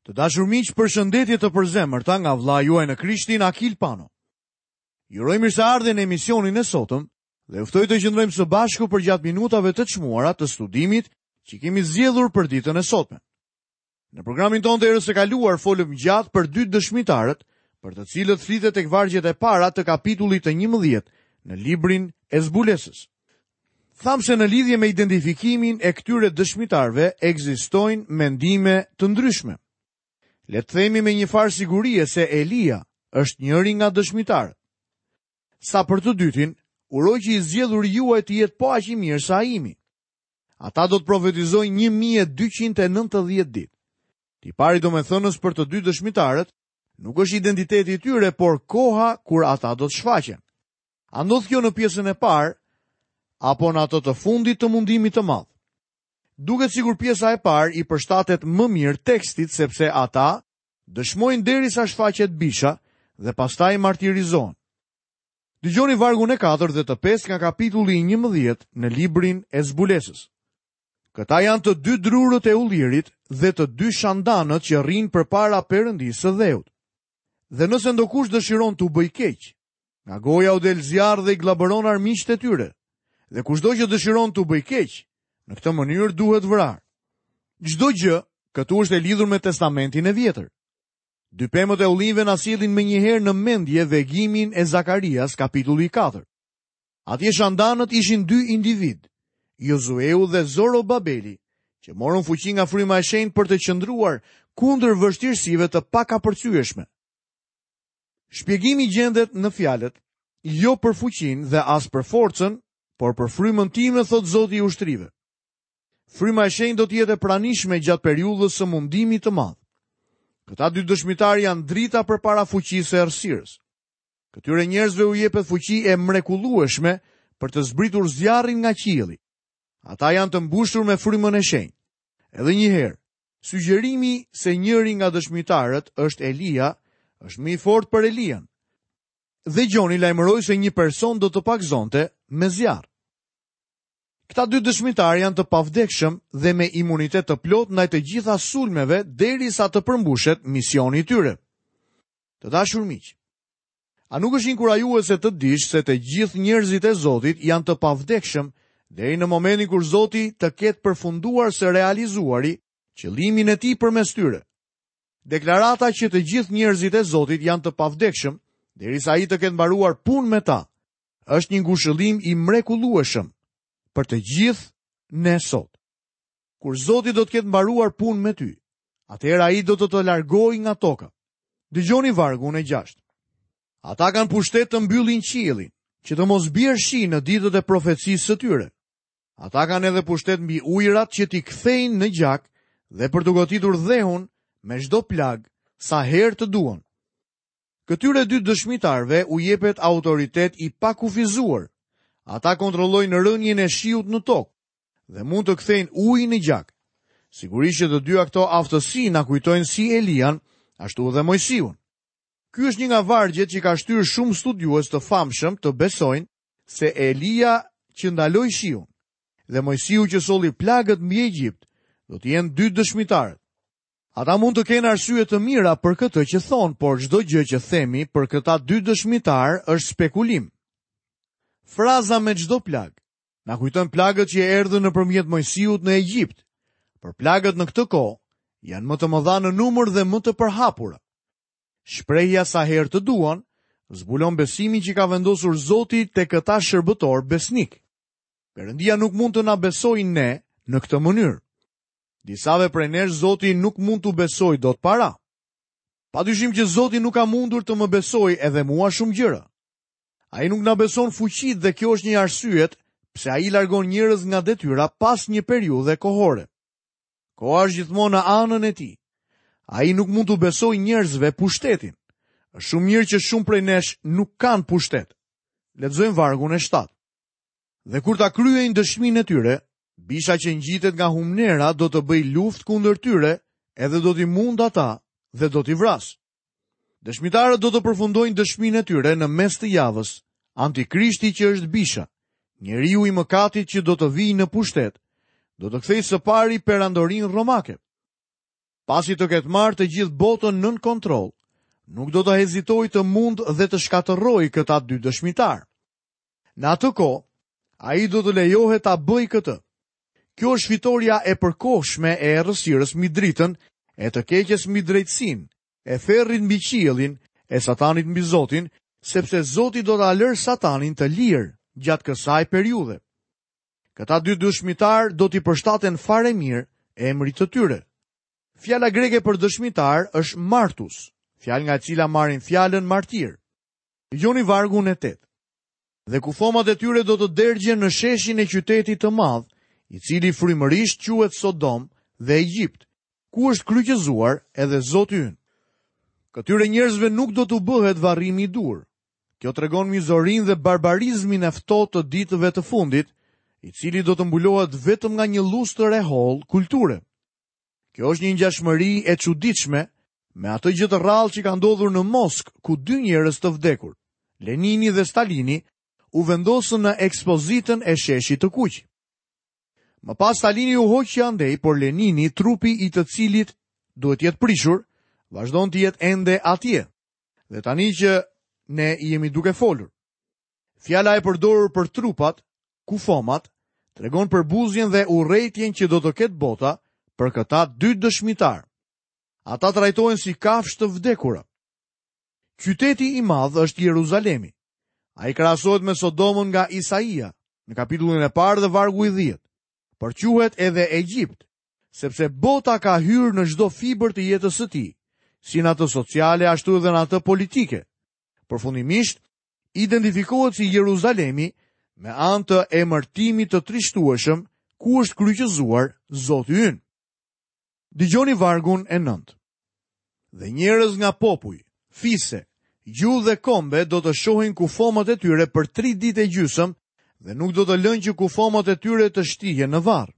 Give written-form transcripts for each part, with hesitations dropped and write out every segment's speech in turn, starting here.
Të dashur miq, përshëndetje të përzemërta nga vëllai juaj në Krishtin Akil Pano. Ju uroj mirëseardhjen në emisionin e sotëm dhe ju ftoj të qëndrojmë së bashku përgjatë minutave të çmuara të studimit që kemi zgjedhur për ditën e sotme. Në programin tonë të herës së kaluar folëm gjatë për dy dëshmitarët, për të cilët flitet tek vargjet e para të kapitullit të 11 në librin e zbulesës. Thamë se në lidhje me identifikimin e këtyre dëshmitarëve ekzistojnë mendime të ndryshme. Le të themi me një farë sigurie se Elia është njëri nga dëshmitarët. Sa për të dytin, uroj që i zgjedhuri juaj të jetë po aq i mirë sa imi. Ata do të profetizojnë 1290 ditë. Tipari domethënës për të dy dëshmitarët nuk është identiteti i tyre, por koha kur ata do të shfaqen. A ndodh kjo në pjesën e parë apo në atë të fundit të mundimit të madh? Duket sikur pjesa e parë i përshtatet më mirë tekstit sepse ata dëshmojnë derisa shfaqet bisha dhe pastaj martirizohen. Dëgjoni vargun e 4 dhe të 5 nga kapitulli 11 në librin e zbulesës. Këta janë të dy drurët e ullirit dhe të dy shandanët që rrinë përpara Perëndisë së dheut. Dhe nëse ndokush dëshiron t'u bëjë keq, Nga goja u del zjarr dhe i gllabëron armiqtë e tyre. Dhe kushdo që dëshiron t'u bëjë keq, në këtë mënyrë duhet vrarë. Çdo gjë këtu është e lidhur me Testamentin e Vjetër. Dy pemët e ullinjve na sjellin menjëherë në mendje vegimin e Zakarias, kapitulli 4. Atje shandanët ishin dy individë, Jozueu dhe Zorobabeli, që morën fuqi nga fryma e shenjtë për të qëndruar kundër vështirësive të pakapërcyeshme. Shpjegimi gjendet në fjalët, jo për fuqinë dhe as për forcën, por për frymën time, thotë Zoti i ushtrive. Fryma e shenjtë do të jetë e pranishme gjatë periudhës së mundimit të madh. Këta dy dëshmitarë janë drita përpara fuqisë së errësirës. Këtyre njerëzve u jepet fuqi e mrekullueshme për të zbritur zjarrin nga qielli. Ata janë të mbushur me frymën e shenjtë. Edhe një herë, Sugjerimi se njëri nga dëshmitarët është Elia, është më i fortë për Elian. Dhe Gjoni lajmëroi se një person do të pagëzonte me zjarr. Këta dy dëshmitarë janë të pavdekshëm dhe me imunitet të plotë ndaj të gjitha sulmeve derisa të përmbushet misioni i tyre. Të dashur miq, a nuk është inkurajuese të dish se të gjithë njerëzit e Zotit janë të pavdekshëm deri në momentin kur Zoti të ketë përfunduar së realizuari qëllimin e tij përmes tyre? Deklarata që të gjithë njerëzit e Zotit janë të pavdekshëm derisa ai të ketë mbaruar punë me ta, është një ngushëllim i mrekullueshëm për të gjithë ne sot. Kur Zoti do të ketë mbaruar punë me ty, atëherë ai do të të largojë nga toka. Dëgjoni vargun e 6. Ata kanë pushtet të mbyllin qiellin, që të mos bjerë shi në ditët e profecisë së tyre. Ata kanë edhe pushtet mbi ujërat që t'i kthejnë në gjak dhe për të goditur dheun me çdo plagë sa herë të duan. Këtyre dy dëshmitarëve u jepet autoritet i pakufizuar. Ata kontrollojnë rënien e shiut në tokë dhe mund të kthejnë ujin në gjak. Sigurisht që të dyja këto aftësi na kujtojnë si Elian, ashtu edhe Moisiun. Ky është një nga vargjet që ka shtyrë shumë studiues të famshëm të besojnë se Elia që ndaloi shiun dhe Moisiu që solli plagët mbi Egjipt do të jenë dy dëshmitarët. Ata mund të kenë arsye të mira për këtë që thonë, por çdo gjë që themi për këta dy dëshmitarë është spekulim. Fraza me çdo plagë na kujton plagët që erdhën nëpërmjet Moisiut në Egjipt, por plagët në këtë kohë janë më të mëdha në numër dhe më të përhapura. Shprehja sa herë të duan, zbulon besimin që ka vendosur Zoti te këta shërbëtorë besnikë. Perëndia nuk mund të na besojë ne në këtë mënyrë. Disave prej nesh Zoti nuk mund t'u besojë dot para. Pa dyshim që Zoti nuk ka mundur të më besojë edhe mua shumë gjëra. Ai nuk na beson fuqitë dhe kjo është një arsye pse ai largon njerëz nga detyra pas një periudhe kohore. Koha është gjithmonë në anën e tij. Ai nuk mund t'u besojë njerëzve pushtetin. Është shumë mirë që shumë prej nesh nuk kanë pushtet. Lexojmë vargun e 7. Dhe kur ta kryejnë dëshminë e tyre, bisha që ngjitet nga humnera do të bëjë luftë kundër tyre, edhe do t'i mundë ata dhe do t'i vrasë. Dëshmitarët do të përfundojnë dëshminë e tyre në mes të javës. Antikrishti që është bisha, njeriu i mëkatit që do të vijë në pushtet, do të kthejë së pari perandorinë romake. Pasi të ketë marrë të gjithë botën nën kontroll, nuk do të hezitojë të mundë dhe të shkatërrojë këta dy dëshmitarë. Në atë kohë, ai do të lejohet ta bëjë këtë. Kjo është fitorja e përkohshme e errësirës mbi dritën, e të keqes mbi drejtësinë, e ferrit mbi qiellin, e satanit mbi Zotin, sepse Zoti do ta lërë satanin të lirë gjatë kësaj periudhe. Këta dy dëshmitarë do t'i përshtaten fare mirë emrit të tyre. Fjala greke për dëshmitar është martus, fjalë nga e cila marrim fjalën martir. Dëgjoni vargun e 8. Dhe kufomat e tyre do të dergjen në sheshin e qytetit të madh, i cili frymërisht quhet Sodom dhe Egjipt, ku është kryqëzuar edhe Zoti ynë. Këtyre njerëzve nuk do t'u bëhet varrimi i duhur. Kjo tregon mizorinë dhe barbarizmin e ftohtë të ditëve të fundit, i cili do të mbulohet vetëm nga një llustër e hollë kulture. Kjo është një ngjashmëri e çuditshme me atë gjë të rrallë që ka ndodhur në Moskë, ku dy njerëz të vdekur, Lenini dhe Stalini, u vendosën në ekspozitën e Sheshit të Kuq. Më pas Stalini u hoq që andej, por Lenini, trupi i të cilit duhet të jetë prishur, vazhdon të jetë ende atje. Dhe tani që ne jemi duke folur. Fjala e përdorur për trupat, kufomat, tregon përbuzjen dhe urrejtjen që do të ketë bota për këta dy dëshmitarë. Ata trajtohen si kafshë të vdekura. Qyteti i madh është Jeruzalemi. Ai krahasohet me Sodomën nga Isaia, në kapitullin e parë dhe vargu i 10. Por quhet edhe Egjipt, sepse bota ka hyrë në çdo fibër të jetës së tij, si në atë sociale ashtu edhe në atë politike. Përfundimisht, identifikohet si Jeruzalemi me anë të emërtimit të trishtueshëm ku është kryqëzuar Zoti ynë. Dëgjoni vargun e 9. Dhe njerëz nga popuj, fise, gjuhë dhe kombe do të shohin kufomat e tyre për tri ditë e gjysmë dhe nuk do të lënë që kufomat e tyre të shtihen në varr.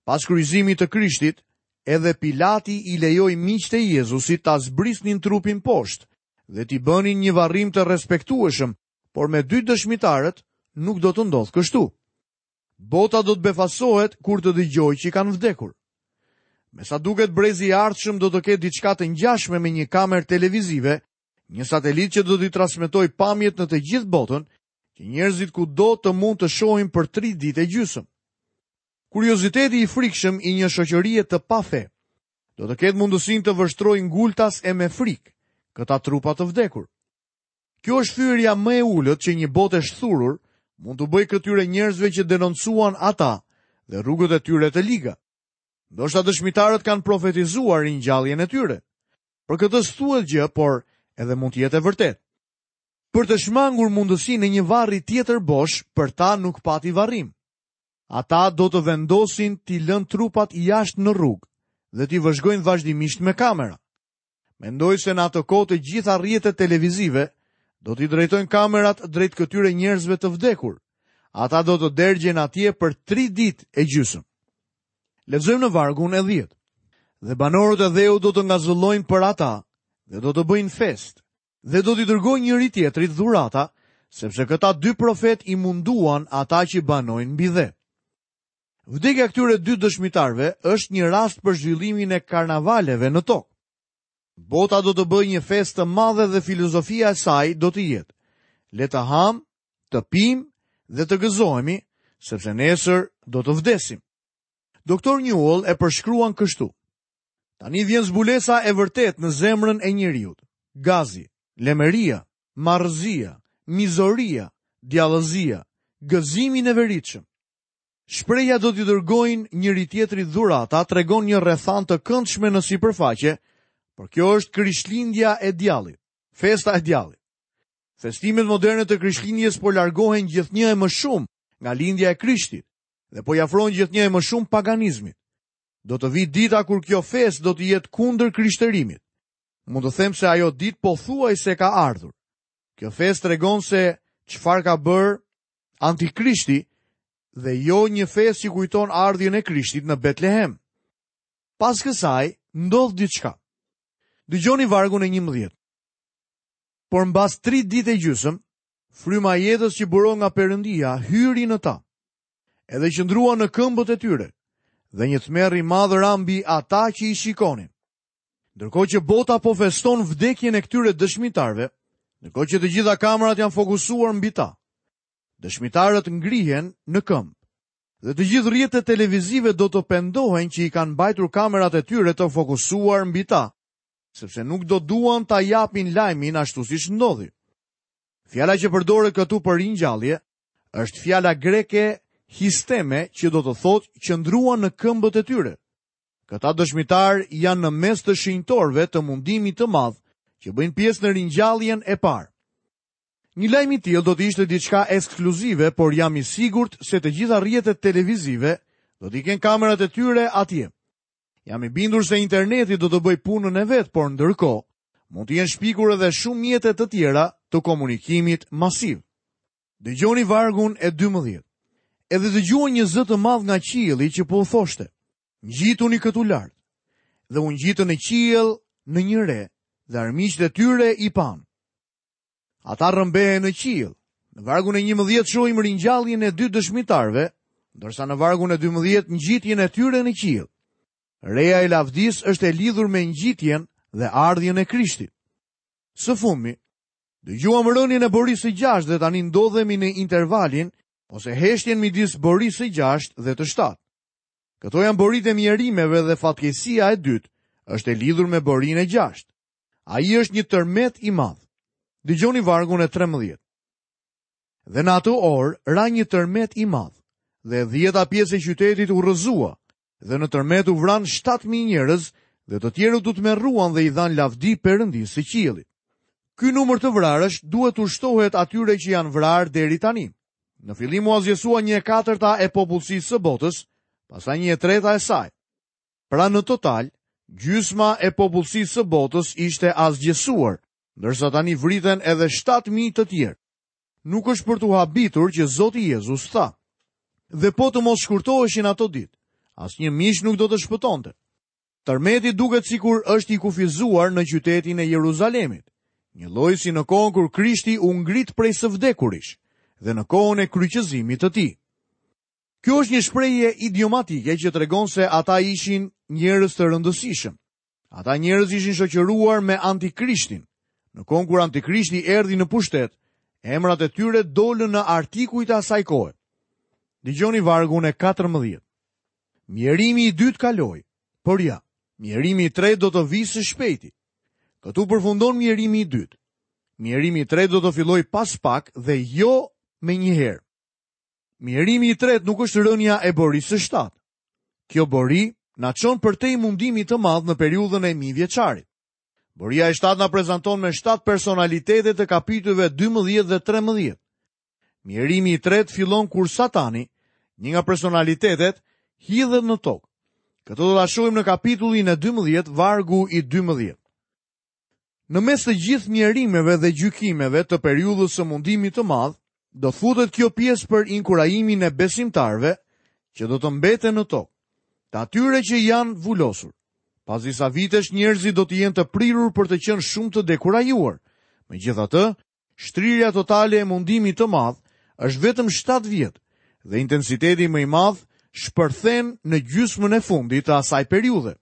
Pas kryqëzimit të Krishtit, edhe Pilati i lejoi miqtë e Jezusit ta zbrisnin trupin poshtë dhe t'i bënin një varrim të respektueshëm, por me dy dëshmitarët nuk do të ndodhë kështu. Bota do të befasohet kur të dëgjojë që kanë vdekur. Me sa duket brezi i ardhshëm do të ketë diçka të ngjashme me një kamerë televizive, një satelit që do t'i transmetojë pamjet në të gjithë botën, që njerëzit kudo të mund të shohin për tri ditë e gjysmë. Kurioziteti i frikshëm i një shoqërie të pafe do të ketë mundësinë të vështrojë ngultas e me frikë këta trupa të vdekur. Kjo është fyerja më e ulët që një botë e shthurur mund t'u bëjë këtyre njerëzve që denoncuan ata dhe rrugët e tyre të liga. Ndoshta dëshmitarët kanë profetizuar ringjalljen e tyre. Për këtë s'thuhet gjë, por edhe mund të jetë e vërtetë. Për të shmangur mundësinë e një varri tjetër bosh, për ta nuk pati varrim. Ata do të vendosin t'i lënë trupat jashtë në rrugë dhe t'i vëzhgojnë vazhdimisht me kamera. Mendoj se në atë kohë të gjitha rrjetet televizive do t'i drejtojnë kamerat drejt këtyre njerëzve të vdekur. Ata do të dergjen atje për tri ditë e gjysmë. Lexojmë në vargun e 10. Dhe banorët e dheut do të ngazëllojnë për ata dhe do të bëjnë festë dhe do t'i dërgojnë njëri-tjetrit dhurata, sepse këta dy profetë i munduan ata që banojnë mbi dhe. Vdekja e këtyre dy dëshmitarëve është një rast për zhvillimin e karnavaleve në tokë. Bota do të bëjë një festë të madhe dhe filozofia e saj do të jetë: le të hamë, të pimë dhe të gëzohemi, sepse nesër do të vdesim. Doktor Newell e përshkruan kështu: Tani vjen zbulesa e vërtetë në zemrën e njeriut. Gazi, lemeria, marrëzia, mizoria, djallëzia, gëzimi i neveritshëm. Shprehja do t'i dërgojnë njëri-tjetrit dhurata tregon një rrethanë të këndshme në sipërfaqe, por kjo është Krishtlindja e djallit, festa e djallit. Festimet moderne të Krishtlindjes po largohen gjithnjë e më shumë nga lindja e Krishtit dhe po i afrohen gjithnjë e më shumë paganizmit. Do të vijë dita kur kjo festë do të jetë kundër krishterimit. Mund të them se ajo ditë pothuajse ka ardhur. Kjo festë tregon se çfarë ka bërë Antikrishti dhe jo një festë që kujton ardhjen e Krishtit në Betlehem. Pas kësaj ndodh diçka. Dëgjoni vargun e 11. Por mbas tri ditë e gjysmë, fryma e jetës që buron nga Perëndia hyri në ta. Edhe qëndruan në këmbët e tyre, dhe një tmerr i madh ra mbi ata që i shikonin. Ndërkohë që bota po feston vdekjen e këtyre dëshmitarëve, ndërkohë që të gjitha kamerat janë fokusuar mbi ta, dëshmitarët ngrihen në këmbë. Dhe të gjithë rrjetet televizive do të pendohen që i kanë mbajtur kamerat e tyre të fokusuar mbi ta, sepse nuk do duan ta japin lajmin ashtu siç ndodhi. Fjala që përdoret këtu për ringjallje është fjala greke histeme që do të thotë qëndruan në këmbët e tyre. Këta dëshmitarë janë në mes të shenjtorëve të mundimit të madh që bëjnë pjesë në ringjalljen e parë. Një lajm i tillë do të ishte diçka ekskluzive, por jam i sigurt se të gjitha rrjetet televizive do t'i kenë kamerat e tyre atje. Jam i bindur se interneti do të bëjë punën e vet, por ndërkohë mund të jenë shpikur edhe shumë mjete të tjera të komunikimit masiv. Dëgjoni vargun e 12. Edhe dëgjuan një zë të madh nga qielli që po u thoshte: Ngjituni këtu lart. Dhe u ngjitën në qiell në një re dhe armiqtë e tyre i panë. Ata rrëmbehen në qiell. Në vargun e 11 shohim ringjalljen e dy dëshmitarëve, ndërsa në vargun e 12 ngjitjen e tyre në qiell. Reja e lavdisë është e lidhur me ngjitjen dhe ardhjen e Krishtit. Së fundmi, dëgjuam rënien e borisë së gjashtë dhe tani ndodhemi në intervalin ose heshtjen midis borisë së gjashtë dhe të shtatë. Këto janë boritë e mjerimeve dhe fatkeqësia e dytë është e lidhur me borinë e gjashtë. Ai është një tërmet i madh. Dëgjoni vargun e 13. Dhe në atë orë ra një tërmet i madh, dhe e dhjeta pjesë e qytetit u rrëzua, dhe në tërmet u vranë 7000 njerëz, dhe të tjerët u tmerruan dhe i dhanë lavdi Perëndisë së qiellit. Ky numër të vrarësh duhet t'u shtohet atyre që janë vrarë deri tani. Në fillim u asgjësua një e katërta e popullsisë së botës, pastaj një e treta e saj. Pra në total, gjysma e popullsisë së botës ishte asgjësuar, ndërsa tani vriten edhe 7000 të tjerë. Nuk është për t'u habitur që Zoti Jezus tha: Dhe po të mos shkurtoheshin ato ditë, asnjë mish nuk do të shpëtonte. Tërmeti duket sikur është i kufizuar në qytetin e Jeruzalemit, njëlloj si në kohën kur Krishti u ngrit prej së vdekurish dhe në kohën e kryqëzimit të tij. Kjo është një shprehje idiomatike që tregon se ata ishin njerëz të rëndësishëm. Ata njerëz ishin shoqëruar me Antikrishtin. Në kohën kur Antikrishti erdhi në pushtet, emrat e tyre dolën në artikujt e asaj kohe. Dëgjoni vargun e 14. Mjerimi i dytë kaloi, por ja, mjerimi i tretë do të vijë së shpejti. Këtu përfundon mjerimi i dytë. Mjerimi i tretë do të fillojë pas pak dhe jo menjëherë. Mjerimi i tretë nuk është rënia e borisë së shtatë. Kjo bori na çon përtej mundimit të madh në periudhën e mijëvjeçarit. Boria e shtatë na prezanton me shtatë personalitete të kapitujve 12 dhe 13. Mjerimi i tretë fillon kur Satani, një nga personalitetet, hidhet në tokë. Këtë do ta shohim në kapitullin e 12, vargu i 12. Në mes të gjithë mjerimeve dhe gjykimeve të periudhës së mundimit të madh, do të futet kjo pjesë për inkurajimin e besimtarëve që do të mbeten në tokë, të atyre që janë vulosur. Pas disa vitesh njerëzit do të jenë të prirur për të qenë shumë të dekurajuar. Megjithatë, shtrirja totale e mundimit të madh është vetëm 7 vjet dhe intensiteti më i madh shpërthen në gjysmën e fundit të asaj periudhe.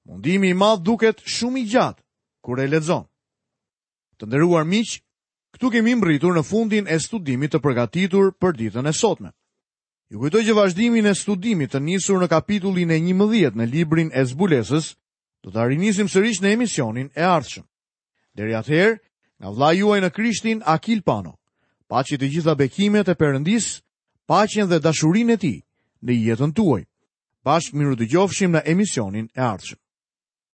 Mundimi i madh duket shumë i gjatë kur e lexon. Të nderuar miq, këtu kemi mbërritur në fundin e studimit të përgatitur për ditën e sotme. Ju kujtoj që vazhdimin e studimit të nisur në kapitullin e 11 në librin e Zbulesës, do ta rinisim sërish në emisionin e ardhshëm. Deri atëherë, nga vëllai juaj në Krishtin Akil Pano. Paçi të gjitha bekimet e Perëndisë, paqen dhe dashurinë e tij në jetën tuaj. Bashkë mirudëgjofshim në emisionin e ardhshëm.